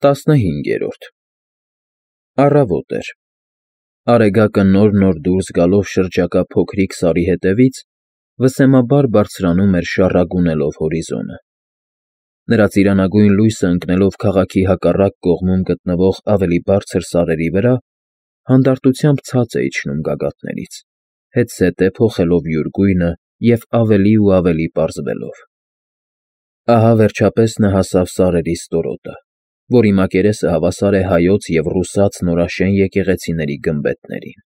15-րդ Առավոտ էր։ Արեգակը նոր դուրս գալով շրջակա փոքրիկ սարի ետևից վսեմաբար բարձրանում էր շառագունելով հորիզոնը։ Նրա ծիրանագույն լույսը ընկնելով քաղաքի հակառակ կողմում գտնվող ավելի բարձր սարերի վրա, հանդարտությամբ ցած է իջնում գագաթներից, հետզհետե փոխելով յուր գույնը և ավելի ու ավելի պարզվելով։ Ահա վերջապես նա հասավ սարերի ստորոտը, որի մակերեսը հավասար է հայոց և ռուսաց նորաշեն եկեղեցիների գմբեթներին։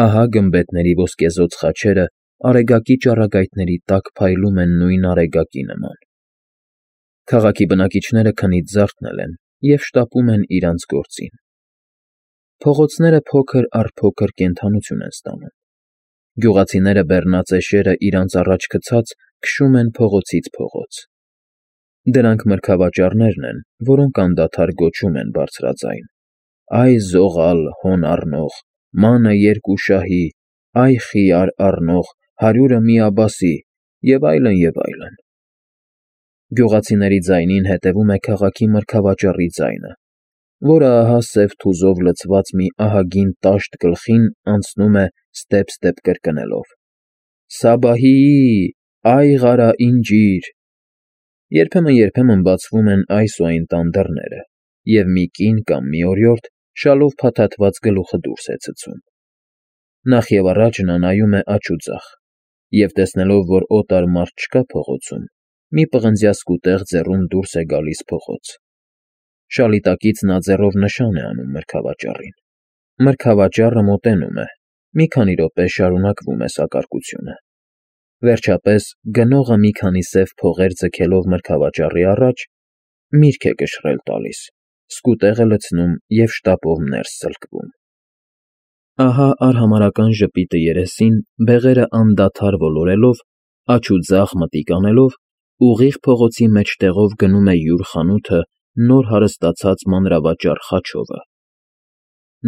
Ահա գմբեթների ոսկեզօծ խաչերը արեգակի ճառագայթների տակ փայլում են նույն արեգակի նման։ Քաղաքի բնակիչները քնից զարթնել են և շտապում են իրանց գործին։ Փողոցները փոքր առ փոքր կենդանություն են ստանում։ Գյուղացիները բեռնածեշերը իրանց առաջ գցած քշում են փողոցից փողոց։ Դրանք մրգավաճառներն են, որոնք անդադար գոչում են բարձրաձայն. «Այ զողալ հոն առնող, մանը երկու շահի, այ խիար առնող, 100-ը մի աբասի» և այլն, և այլն։ Գյուղացիների ձայնին հետևում է քաղաքի մրգավաճառի ձայնը, որը ահա սև թուզով լցված մի ահագին տաշտ գլխին անցնում է ստեպ կրկնելով. «Սաբահի՜, այ ղարա ինջիր»։ Երբեմն բացվում են այս ու այն տան դռները, և մի կին կամ մի օրիորդ շալով փաթաթված գլուխը դուրս է ցցում։ Նախևառաջ նա նայում է աջ ու ձախ և, տեսնելով, որ օտար մարդ չկա փողոցում, մի պղնձյա սկուտեղ ձեռում դուրս է գալիս փողոց։ Շալի տակից նա ձեռով նշան է անում մրգավաճառին։ Մրգավաճառը մոտենում է, մի քանի րոպե շարունակվում է սակարկությունը։ Վերջապես գնողը մի քանի սև փողեր ձգելով մրգավաճառի առաջ, միրգ է կշռել տալիս, սկուտեղը լցնում և շտապով ներս սլկվում։ Ահա արհամարհական ժպիտը երեսին, բեղերը անդադար ոլորելով, աջ ու ձախ մտիկ անելով, ուղիղ փողոցի մեջտեղով գնում է յուր խանութը նոր հարստացած մանրավաճառ Խաչովը։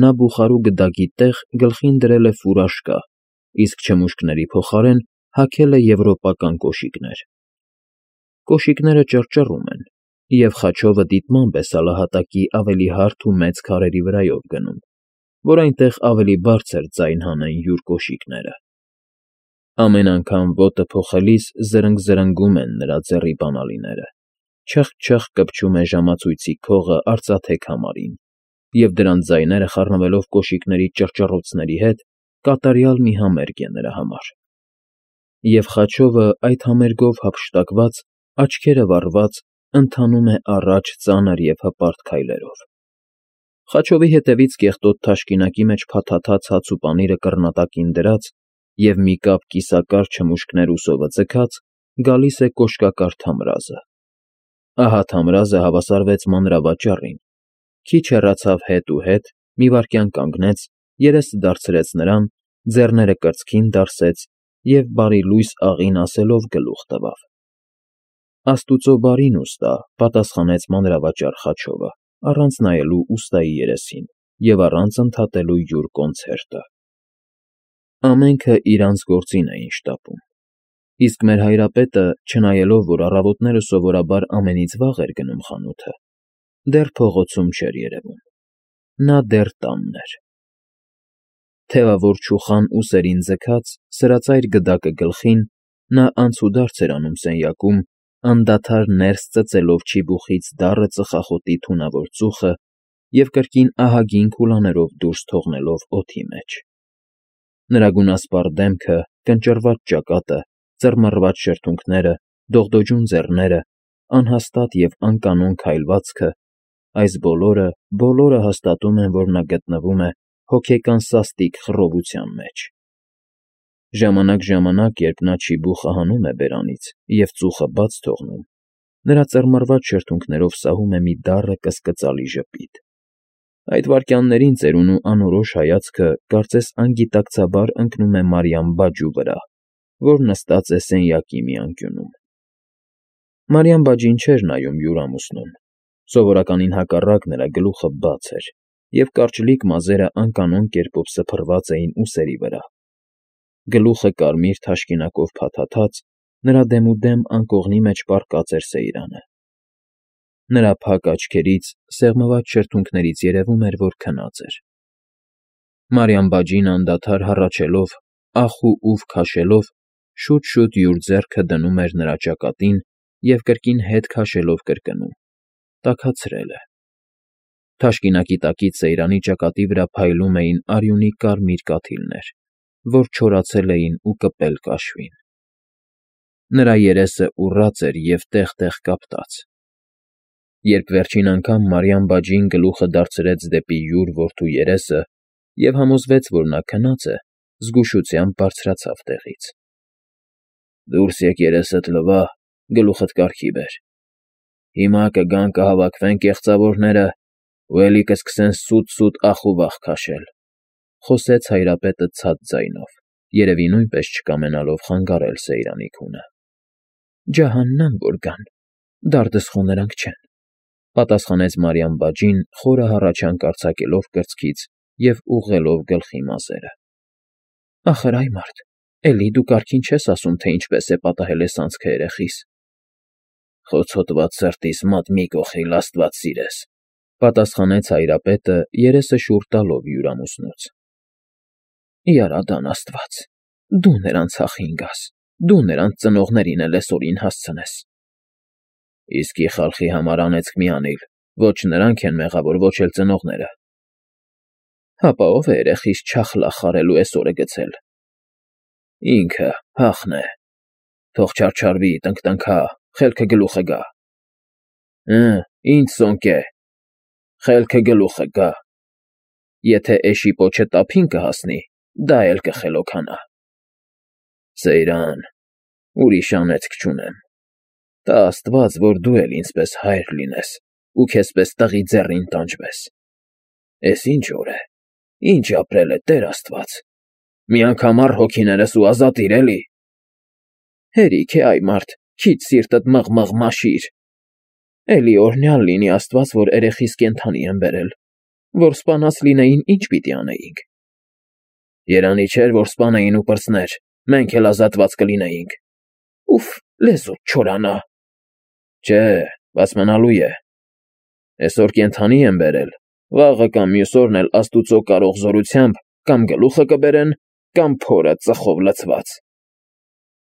Նա բուխարու գդակի տեղ գլխին դրել է ֆուրաշկա, իսկ չմուշկների փոխարեն հագել է եվրոպական կոշիկներ։ Կոշիկները ճռճռում են, և Խաչովը դիտմամբ է սալահատակի ավելի հարթ ու մեծ քարերի վրայով գնում, որ այնտեղ ավելի բարձր ձայն հանեն յուր կոշիկները։ Ամեն անգամ ոտը փոխելիս զրնգ֊զրնգում են նրա ձեռի բանալիները, չխ֊չխ կպչում է ժամացույցի քողը արծաթե քամարին, և դրանց ձայները խառնվելով կոշիկների ճռճռոցների հետ, կատարյալ մի համերգ է նրա համար։ Եվ Խաչովը այդ համերգով հափշտակված, աչքերը վառված, ընթանում է առաջ ծանր և հպարտ քայլերով։ Խաչովի հետևից կեղտոտ թաշկինակի մեջ փաթաթած հաց ու պանիրը կռնատակին դրած և մի կապ կիսակար չմուշկներ ուսովը ձգած, գալիս է կոշկակար Թամրազը։ Ահա Թամրազը հավասարվեց մանրավաճառին, քիչ հեռացավ հետ, մի վայրկյան կանգնեց, երեսը դարձրեց նրան, ձեռները կրծքին դարսեց և բարիլույս աղին ասելով գլուխ տվավ։ Աստուծո բարին ուստա, պատասխանեց մանրավաճառ Խաչովը, առանց նայելու ուստայի երեսին և առանց ընդհատելու յուր կոնցերտը։ Ամենքը իրանց գործին էին շտապում, իսկ մեր հայրապետը, չնայելով, որ առավոտները սովորաբար ամենից վաղ էր գնում խանութը, դեռ փողոցում չէր երևում։ Նա դեռ տանն էր։ Թևավոր չուխան ուսերին ձգած, սրածայր գդակը գլխին, նա անցուդարձ էր անում սենյակում, անդադար ներս ծծելով չիբուխից դառը ծխախոտի թունավոր ծուխը և կրկին ահագին քուլաներով դուրս թողնելով օդի մեջ։ Նրա գունասպառ դեմքը, կնճռված ճակատը, ծռմռված շրթունքները, դողդոջուն ձեռները, անհաստատ և անկանոն քայլվածքը, այս բոլորը հաստատում են, որ նա գտնվում է հոգեկան սաստիկ խռովության մեջ։ Ժամանակ, երբ նա չիբուխը հանում է բերանից և ծուխը բաց թողնում, նրա ծռմռված շրթունքներով սահում է մի դառը կսկծալի ժպիտ։ Այդ վայրկյաններին ծերունու անորոշ հայացքը կարծես անգիտակցաբար ընկնում է Մարիամ բաջու վրա, որ նստած է սենյակի մի անկյունում։ Մարիամ բաջին չէր նայում յուր ամուսնուն, սովորականին հակառակ նրա գլուխը բաց էր, և կարճլիկ մազերը անկանոն կերպով սփռված էին ուսերի վրա։ Գլուխը կարմիր թաշկինակով փաթաթած, նրա դեմուդեմ անկողնի մեջ պառկած էր սեյրանը։ Նրա փակ աչքերից, սեղմված շրթունքներից երևում էր, որ քնած էր։ Մարիամ բաջին անդադար հառաչելով, ախ ու ուվ քաշելով, շուտ-շուտ յուր ձեռքը դնում էր նրա ճակատին և կրկին հետ քաշելով կրկնում. «Տաքացրել է»։ Թաշկինակի տակից Սեյրանի ճակատի վրա փայլում էին արյունի կարմիր կաթիլներ, որ չորացել էին ու կպել կաշվին։ Նրա երեսը ուռած էր և տեղ֊տեղ կապտած։ Երբ վերջին անգամ Մարիամ բաջին գլուխը դարձրեց դեպի յուր որդու երեսը և համոզվեց, որ նա քնած է, զգուշությամբ բարձրացավ տեղից։ «Դուրս եկ երեսդ լվա, գլուխդ կարգի բեր։ Հիմա կգան կհավաքվեն կեղծավորները ու էլի կսկսեն սուտ-սուտ ախ ու վախ քաշել», խոսեց Հայրապետը ցած ձայնով, երևի նույնպես չկամենալով խանգարել Սեյրանի քունը։ «Ջահաննամ որ գան, դարդս խո նրանք չեն», պատասխանեց Մարիամ բաջին, խորը հառաչանք արձակելով կրծքից և ուղղելով գլխի մազերը։ «Ախր այ մարդ, էլի դու կարգին չես ասում, թե ինչպես է պատահել էս անցքը երեխիս»։ «Խոցոտված սրտիս մոտ մի կողիլ աստված սիրես», պատասխանեց Հայրապետը, երեսը շուռ տալով յուր ամուսնուց։ «Իարադան աստված, դու նրանց հախին գաս, դու նրանց ծնողներին էլ էսօրին հասցնես»։ «Իսկի խալխի համար անեծք մի անիլ, ոչ նրանք են մեղավոր, ոչ էլ ծնողները»։ «Հապա ով է երեխիս չախլախ արելու էս օրը գցել»։ «Ինքը, հախն է։ Թող չարչարվի, տնկտնքա, խելքը գլուխը գա»։ «Ինչ սոնկե, խելքը գլուխը գա։ Եթե էշի պոչը տափին կհասնի, դա էլ կխելոքանա»։ «Սեյրան, ուրիշ անեծք չունեմ։ Տա աստված, որ դու էլ ինձպես հայր լինես ու քեզպես տղի ձեռին տանջվես։ Էս ինչ օր է, ինչ ապրել է Տեր Աստված։ Մի անգամ առ հոգիներս ու ազատիր էլի»։ «Հերիք է այ մարդ, քիչ սիրտդ մղ-մղ մաշիր։ Էլի օրհնյալ լինի Աստված, որ երեխիս կենդանի եմ բերել, որ սպանած լինեին, ինչ պիտի անեինք»։ «Երանի չէր, որ սպանեին ու պրծներ, մենք էլ ազատված կլինեինք»։ «Ուֆ, լեզուդ չորանա»։ «Չէ, բաց մնալու է։ Էսօր կենդանի եմ բերել, վաղը կամ մյուս օրն էլ Աստուծո կարող զորությամբ կամ գլուխը կբերեն, կամ փորը ծխով լցված»։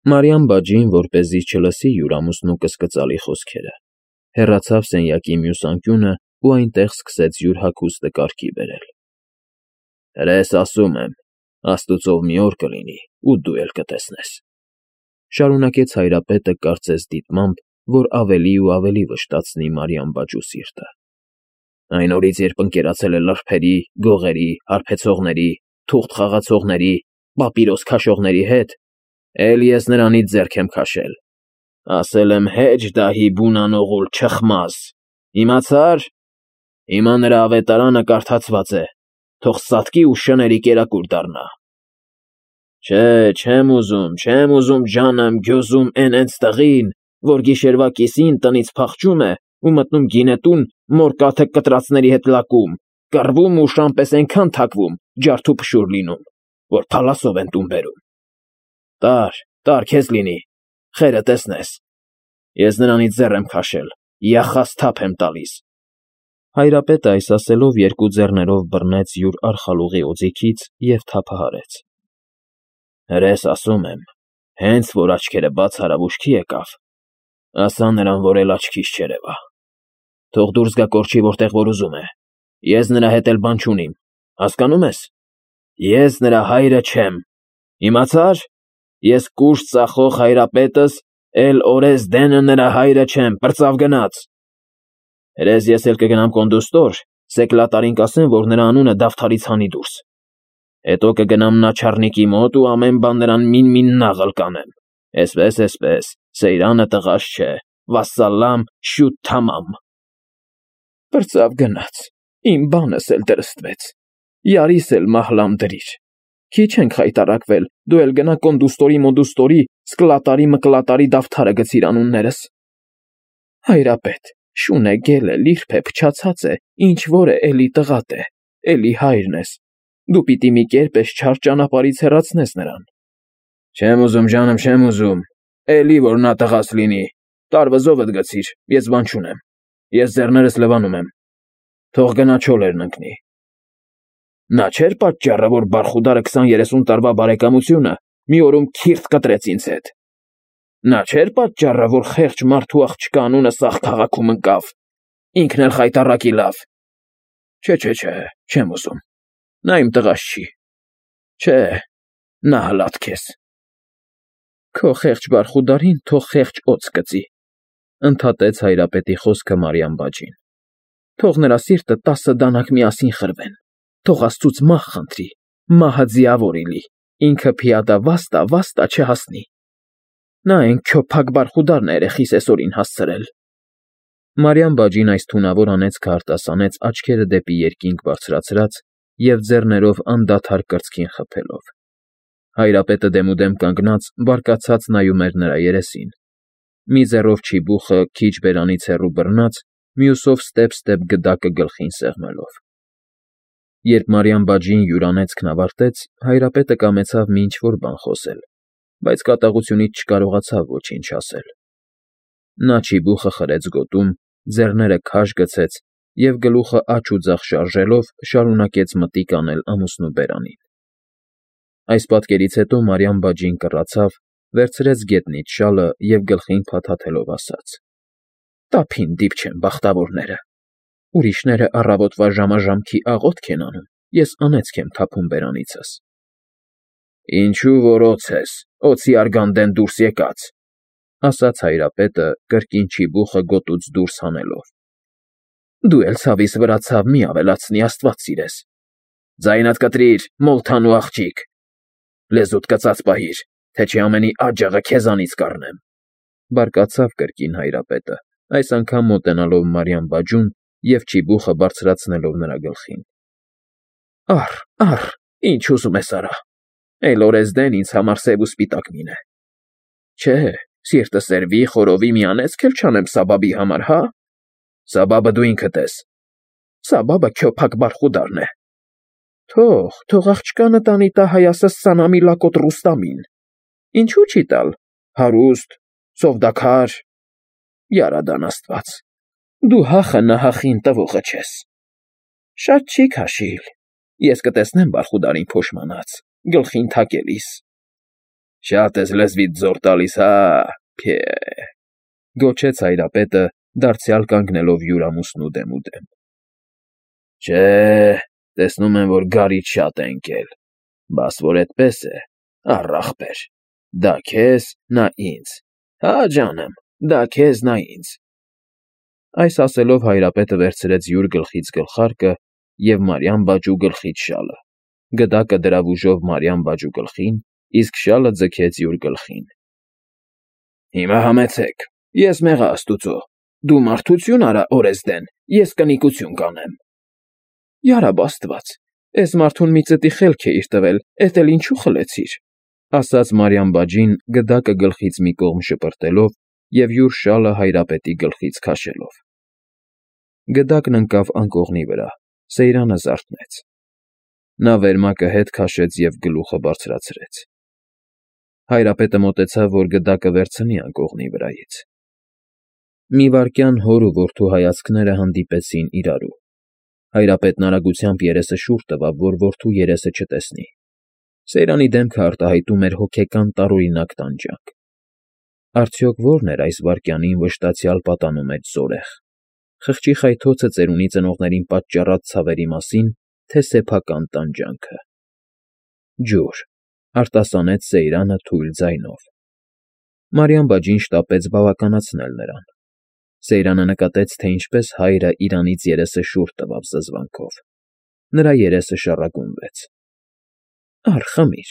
Մարիամ բաջին, որպեսզի չլսի յուր ամուսնու կսկծալի խոսքերը, հեռացավ սենյակի մյուս անկյունը ու այնտեղ սկսեց յուր հագուստը կարգի բերել։ «Հրես ասում եմ, Աստուծով մի օր կլինի, ու դու էլ կտեսնես», շարունակեց Հայրապետը կարծես դիտմամբ, որ ավելի ու ավելի վշտացնի Մարիամ բաջու սիրտը։ «Այն օրից, երբ ընկերացել է լրբերի, գողերի, հարբեցողների, թուղթ խաղացողների, պապիրոս քաշողների հետ, էլ ես նրանից ձեռք եմ քաշել։ Ասել եմ հեջ դահի բունանողուլ չխմազ, իմացա՞ր։ Հիմա նրա ավետարանը կարդացված է, թող սատկի ու շների կերակուր դառնա։ Չէ, չեմ ուզում ջանեմ գյոզում էն տղին, որ գիշերվա կիսին տնից փախչում է ու մտնում գինետուն, մոր կաթը կտրածների հետ լակում, կռվում ու շամպես այնքան թակվում, ջարդ ու փշուր լինում, որ փալասով են տուն բերում։ Տար, քեզ լինի, խերը տեսնես։ Ես նրանից ձեռ եմ քաշել, յախաս թափ եմ տալիս»։ Հայրապետը այս ասելով երկու ձեռներով բռնեց յուր արխալուղի օձիքից և թափահարեց։ «Հրես ասում եմ, հենց որ աչքերը բաց արավ ուշքի եկավ, ասա նրան, որ էլ աչքիս չերևա։ Թող դուրս գա կորչի, որտեղ որ ուզում է։ Ես նրա հետ էլ բան չունիմ, հասկանո՞ւմ ես։ Ես նրա հայրը չեմ, իմացա՞ր։ Ես կուշտ ծախող Հայրապետս էլ օրես-դենը նրա հայրը չեմ, պրծավ գնաց։ Հրես ես էլ կգնամ կոնդուստոր, սեկլատարին կասեմ, որ նրա անունը դավթարից հանի դուրս։ Հետո կգնամ նաչառնիկի մոտ ու ամեն բան նրան մին-մին նաղլ կանեմ։ Էսպես, Սեյրանը տղաս չէ, վասսալամ, շուտ թամամ։ Պրծավ գնաց, իմ բանս էլ դրստվեց, յարիս էլ մահլամ դրիր։ Քիչ ենք խայտարակվել, դու էլ գնա կոնդուստորի, սկլատարի մկլատարի դավթարը գցիր անուններս։ Հայրապետ, շուն է, գել է, լիրբ է, փչացած է, ինչ որ է, էլի տղատ է, էլի հայրն ես։ Դու պիտի մի կերպ էս չար ճանապարհից հեռացնես նրան։ Չեմ ուզում, ջանım, չեմ ուզում, էլի որ նա տղաս լինի, տարվզովդ գցիր, ես բան չունեմ։ Ես ձեռներս լվանում եմ, թող գնա չոլերն ընկնի։ Նա չէր պատճառը, որ Բարխուդարը 20-30 տարվա բարեկամությունը մի օրում քիրթ կտրեց ինձ հետ։ Նա չէր պատճառը, որ խեղճ մարդու աղջկա անունը սաղ քաղաքում ընկավ, ինքն էլ խայտառակի լավ։ Չէ, չեմ ուզում, նա իմ տղաս չի։ Չէ, նա հլատ քեզ։ Քո խեղճ Բարխուդարին թող խեղճ օձ կծի, ընդհատեց հայրապետի խոսքը Մարիամ բաջին։ Թող նրա սիրտը 10 դանակ միասին խրվեն, թող Աստծուց մահ խնդրի, մահը ձիավոր իլի, ինքը փիադա վաստա չհասնի։ Նա այն քյոփակ Բարխուդարն է երեխիս այսօրին հասցրել։ Մարիամ բաջին այս թունավոր անեծքը արտասանեց աչքերը դեպի երկինք բարձրացրած և ձեռներով անդադար կրծքին խփելով։ Հայրապետը դեմուդեմ կանգնած բարկացած նայում էր նրա երեսին։ Մի ձեռով չիբուխը քիչ բերանից հեռու բռնած, մյուսով ստեպ գդակը գլխին սեղմելով։ Երբ Մարիամ բաջին յուր անեծքն ավարտեց, հայրապետը կամեցավ մի ինչ-որ բան խոսել, բայց կատաղությունից չկարողացավ ոչինչ ասել։ Նա չիբուխը խրեց գոտում, ձեռները քաշ գցեց և գլուխը աջ ու ձախ շարժելով շարունակեց մտիկ անել ամուսնու բերանին։ Այս պատկերից հետո Մարիամ բաջին կռացավ, վերցրեց գետնից շալը և գլխին փաթաթելով ասաց. «Տափին դիպչեն բախտավորները։ Ուրիշները առավոտվա ժամաժամքի աղոթք են անում, ես անեծք եմ թափում բերանիցս»։ Ինչու որ օձ ես, օձի արգանդեն դուրս եկած, ասաց հայրապետը կրկին չիբուխը գոտուց դուրս հանելով։ Դու էլ ցավիս վրա ցավ մի ավելացնի, Աստված սիրես։ Ձայնդ կտրիր, մոլթանու աղջիկ։ Լեզուդ կծած պահիր, թե չի ամենի աջաղը քեզանից կառնեմ։ Բարկացավ կրկին հայրապետը, այս անգամ մոտենալով Մարիամ բաջուն և չիբուխը բարձրացնելով նրա գլխին։ Առ, ինչ ուզում ես արա։ Էլ օրեսդեն ինձ համար սև ու սպիտակ մինե։ Չէ, սիրտը սերվի, խորովի մի անեծք էլ չանեմ Սաբաբի համար, հա։ Սաբաբը դու ինքդ ես։ Սաբաբը քյոփակ Բարխուդարն է։ Թող աղջկանը տանի տա հայասս Սանամի լակոտ Ռուստամին։ Ինչու չի տալ։ Հարուստ, սովդաքար։ Յարադան Աստված։ Դու հախը նահախին տվողը չես։ Շատ չի քաշիլ։ Ես կտեսնեմ Բարխուդարին փոշմանած, գլխին թակելիս։ Շատ ես լեզվիդ զոր տալիս, հա, փե, գոչեց հայրապետը, դարձյալ կանգնելով յուր ամուսնու դեմուդեմ։ Չէ, տեսնում եմ, որ գարիճ շատ է ընկել, բաս որ էդպես է, առ ախպեր, դա քեզ, նա ինձ, հա ջանեմ, դա քեզ, նա ինձ։ Այս ասելով հայրապետը վերցրեց յուր գլխից գլխարկը և Մարիամ բաջու գլխից շալը, գդակը դրավ ուժով Մարիամ բաջու գլխին, իսկ շալը ձգեց յուր գլխին։ Հիմա համեցեք, ես մեղա Աստուծո, դու մարդություն արա օրեսդեն, ես կնիկություն կանեմ։ Յարաբ Աստված, էս մարդուն մի ծտի խելք է իր տվել, էդ էլ ինչու խլեցիր, ասաց Մարիամ բաջին գդակը գլխից մի կողմ շպրտելով և յուր շալը հայրապետի գլխից քաշելով։ Գդակն ընկավ անկողնի վրա, Սեյրանը զարթնեց։ Նա վերմակը հետ քաշեց և գլուխը բարձրացրեց։ Հայրապետը մոտեցավ, որ գդակը վերցնի անկողնի վրայից։ Մի վայրկյան հոր ու որդու հայացքները հանդիպեցին իրարու։ Հայրապետն արագությամբ երեսը շուռ տվավ, որ որդու երեսը չտեսնի։ Սեյրանի դեմքը արտահայտում էր հոգեկան տարօրինակ տանջանք։ Արդյոք ո՞րն էր այս վայրկյանին վշտացյալ պատանում այդ զորեղ։ Խղճի խայթոցը ծերունի ծնողներին պատճառած ցավերի մասին, թե սեփական տանջանքը։ Ջուր, արտասանեց Սեյրանը թույլ ձայնով։ Մարիամ բաջին շտապեց բավականացնել նրան։ Սեյրանը նկատեց, թե ինչպես հայրը իրանից երեսը շուռ տվավ զզվանքով։ Նրա երեսը շառագունվեց։ Առ, խմիր,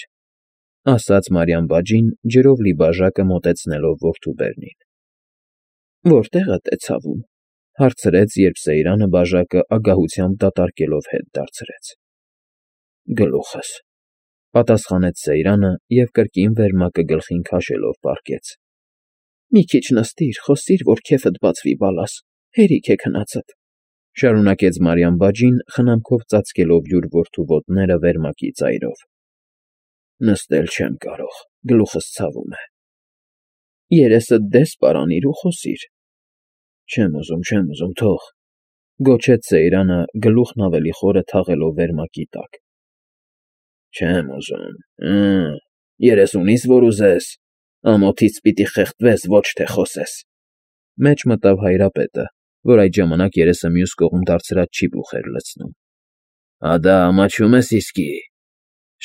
ասաց Մարիամ բաջին, ջրով լի բաժակը մոտեցնելով որդու բերնին։ Որտեղդ է ցավում, հարցրեց, երբ Սեյրանը բաժակը ագահությամբ դատարկելով հետ դարձրեց։ Գլուխս, պատասխանեց Սեյրանը և կրկին վերմակը գլխին քաշելով պառկեց։ Մի քիչ նստիր, խոսիր, որ քեֆդ բացվի բալաս, հերիք է քնածդ, շարունակեց Մարիամ բաջին, խնամքով ծածկելով յուր որդու ոտները վերմակի ծայրով։ Նստել չեմ կարող, գլուխս ցավում է։ Երեսդ դես պարանիր ու խոսիր։ Չեմ ուզում, թող, գոչեց Սեյրանը, գլուխն ավելի խորը թաղելով վերմակի տակ։ Չեմ ուզում, 30-ից որ ուզես, ամոթից պիտի խեղդվես, ոչ թե խոսես։ Մեջ մտավ Հայրապետը, որ այդ ժամանակ երեսը մյուս կողմ դարձրած չիբուխ էր լցնում։ Ադա ամաչում ես իսկի,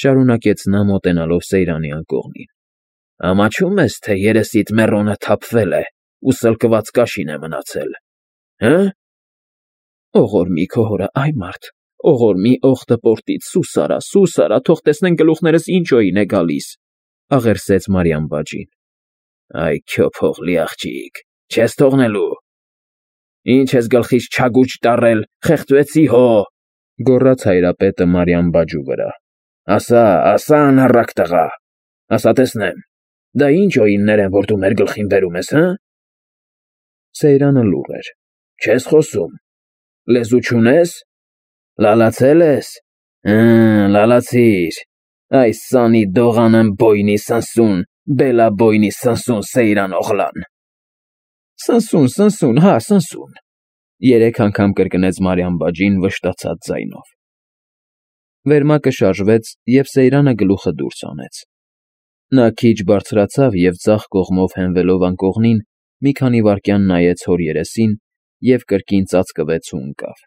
շարունակեց նա մոտենալով Սեյրանի անկողնին։ Ամաչում ես, թե երեսիդ մեռոնը թափվել է ու սլկված կաշին է մնացել, հը՞։ Օղորմի քո հորը, այ մարդ, օղորմի օղտը պորտից, սուս արա, թող տեսնեն գլուխներս ինչ օին է գալիս, աղերսեց Մարիամ բաջին։ Այ քո փողլի աղջիկ, չես թողնելու։ Ինչ ես գլխից չագուճ տարել, խեղդվեցի հո, գոռաց Հայրապետը Մարիամ բաջու վրա։ Ասա, անառակ տղա, ասա տեսնեմ, դա ինչ օիններ են, որ դու մեր գլխին բերում ես, հը։ Սեյրանը լուռ էր։ Չես խոսում, լեզու չունես, լալացել ես, լալացիր, այս սանի դողանն բոյնի սնսուն, բելա բոյնի սնսուն Սեյրան օղլան։ Սնսուն, հա, սնսուն, 3 անգամ կրկնեց Մարիամ բաջին վշտացած ձայնով։ Վերմակը շարժվեց, և Սեյրանը գլուխը դուրս հանեց։ Նա քիչ բարձրացավ և ձախ կողմով հենվելով անկողնին, մի քանի վայրկյան նայեց հոր երեսին և կրկին ծածկվեց ու ընկավ։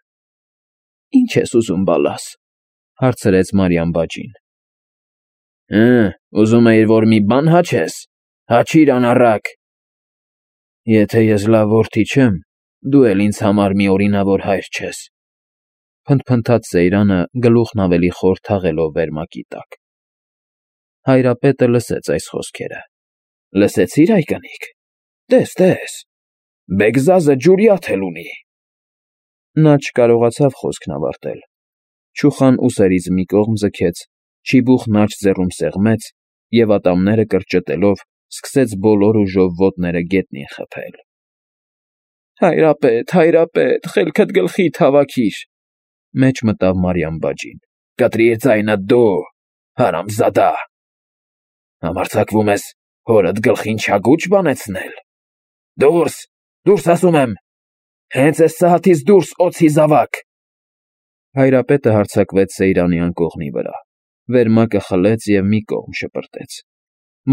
Ինչ ես ուզում բալաս, հարցրեց Մարիամ բաջին։ Ուզում էիր, որ մի բան հաչես, հաչիր անառակ։ Եթե ես լավ որդի չեմ, դու էլ ինձ համար մի օրինավոր հայր չես, փնթփնթաց Սեյրանը, գլուխն ավելի խոր թաղելով վերմակի տակ։ Հայրապետը լսեց այս խոսքերը։ Լսեցի՞ր, այ կնիկ, տես, Բեգզազը ջուրյաթ էլ ունի։ Նա չկարողացավ խոսքն ավարտել։ Չուխան ուսերից մի կողմ ձգեց, չիբուխն աջ ձեռում սեղմեց և ատամները կրճտելով սկսեց բոլոր ուժով ոտները գետնին խփել։ Հայրապետ, խելքդ գլխիդ հավաքիր, մեջ մտավ Մարիամ բաջին։ Կտրիր ձայնդ դու, հարամզադա։ Համարձակվում ես հորդ գլխին չագուճ բանեցնել։ Դուրս ասում եմ, հենց այս սահաթից դուրս օձի զավակ։ Հայրապետը հարձակվեց Սեյրանի անկողնի վրա, վերմակը խլեց և մի կողմ շպրտեց։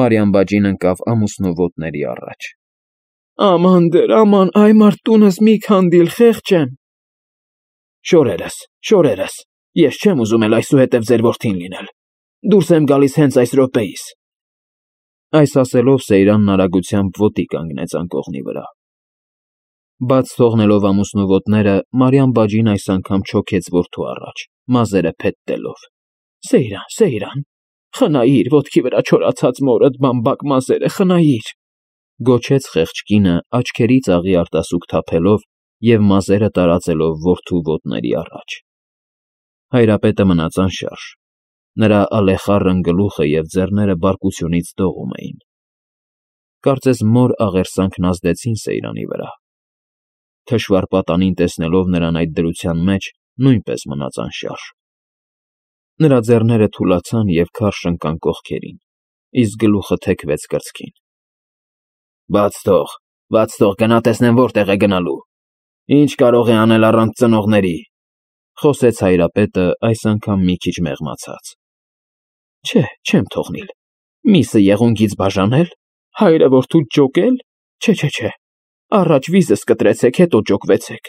Մարիամ բաջին ընկավ ամուսնու ոտների առաջ։ Աման դեր, այ մարդ տունս մի քանդիլ, խեղճ եմ։ Շորերս, ես չեմ ուզում էլ այսուհետև ձեր որդին լինել։ Դուրս եմ գալիս հենց այս րոպեիս։ Այս ասելով Սեյրանն արագությամբ ոտի կանգնեց անկողնի վրա։ Բաց թողնելով ամուսնու ոտները, Մարիամ բաջին այս անգամ չոքեց որդու առաջ, մազերը փետտելով։ Սեյրան, խնայիր ոտքի վրա չորացած մորդ բամբակ մազերը, խնայիր, գոչեց խեղճ կինը, աչքերից աղի արտասուք թափելով և մազերը տարածելով որդու ոտների առաջ։ Հայրապետը մնաց անշարժ։ Նրա ալեխառն գլուխը և ձեռները բարկությունից դողում էին։ Կարծես մոր աղերսանքն ազդեցին Սեյրանի վրա։ Թշվառ պատանին տեսնելով նրան այդ դրության մեջ, նույնպես մնաց անշարժ։ Նրա ձեռները թուլացան և քարշ ընկան կողքերին, իսկ գլուխը թեքվեց կրծքին։ Բաց թող, գնա տեսնեմ որտեղ է գնալու։ Ինչ կարող է անել առանց ծնողների, խոսեց Հայրապետը, այս անգամ մի քիչ մեղմացած։ Չէ, չեմ թողնիլ։ Միսը եղունգից բաժանել, հայրը որդուց ջոկել, չէ, առաջ վիզս կտրեցեք, հետո ջոկվեցեք։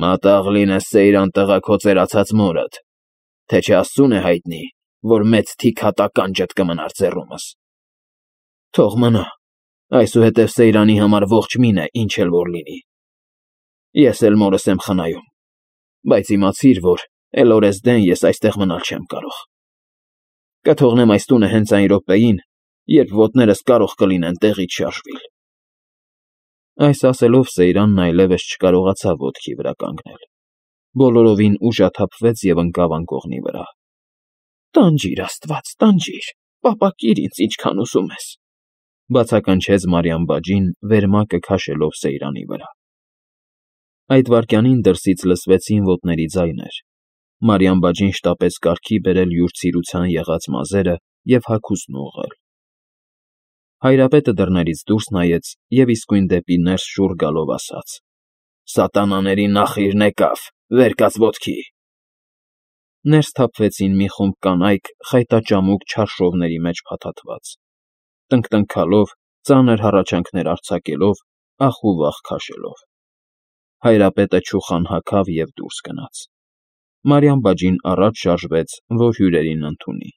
Մատաղ լինես Սեյրան տղա քո ծերացած մորդ, թե չէ Աստծուն է հայտնի, որ մեծ թիք հատականջդ կմնար ձեռումս։ Թող մնա, այսուհետև Սեյրանի համար ողջ մին է, ինչ էլ որ լինի։ Ես էլ մորս եմ խնայում, բայց իմացիր, որ էլ օրեսդեն ես այստեղ մնալ չեմ կարող։ Կթողնեմ այս տունը հենց այն րոպեին, երբ ոտներս կարող կլինեն տեղից շարժվիլ։ Այս ասելով Սեյրանն այլևս չկարողացավ ոտքի վրա կանգնել։ Բոլորովին ուժաթափվեց և ընկավ անկողնի վրա։ Տանջիր, Աստված, տանջիր, պապակիր ինձ ինչքան ուզում ես, բացականչեց Մարիամ բաջին, վերմակը քաշելով Սեյրանի վրա։ Այդ վայրկյանին դրսից լսվեցին ոտների ձայներ։ Մարիամ բաջին շտապեց կարգի բերել յուր ցիրության եղած մազերը և հագուստն ուղղել։ Հայրապետը դռներից դուրս նայեց և իսկույն դեպի ներս շուռ գալով ասաց. «Սատանաների նախիրն եկավ, վեր կաց ոտքի»։ Ներս թափվեցին մի խումբ կանայք խայտաճամուկ չարշովների մեջ փաթաթված, տնկտնքալով, ծանր հառաչանքներ արձակելով, ախ ու վախ քաշելով։ Հայրապետը չուխան հագավ և դուրս գնաց։ Մարիամ բաջին առաջ շարժվեց, որ հյուրերին ընդունի։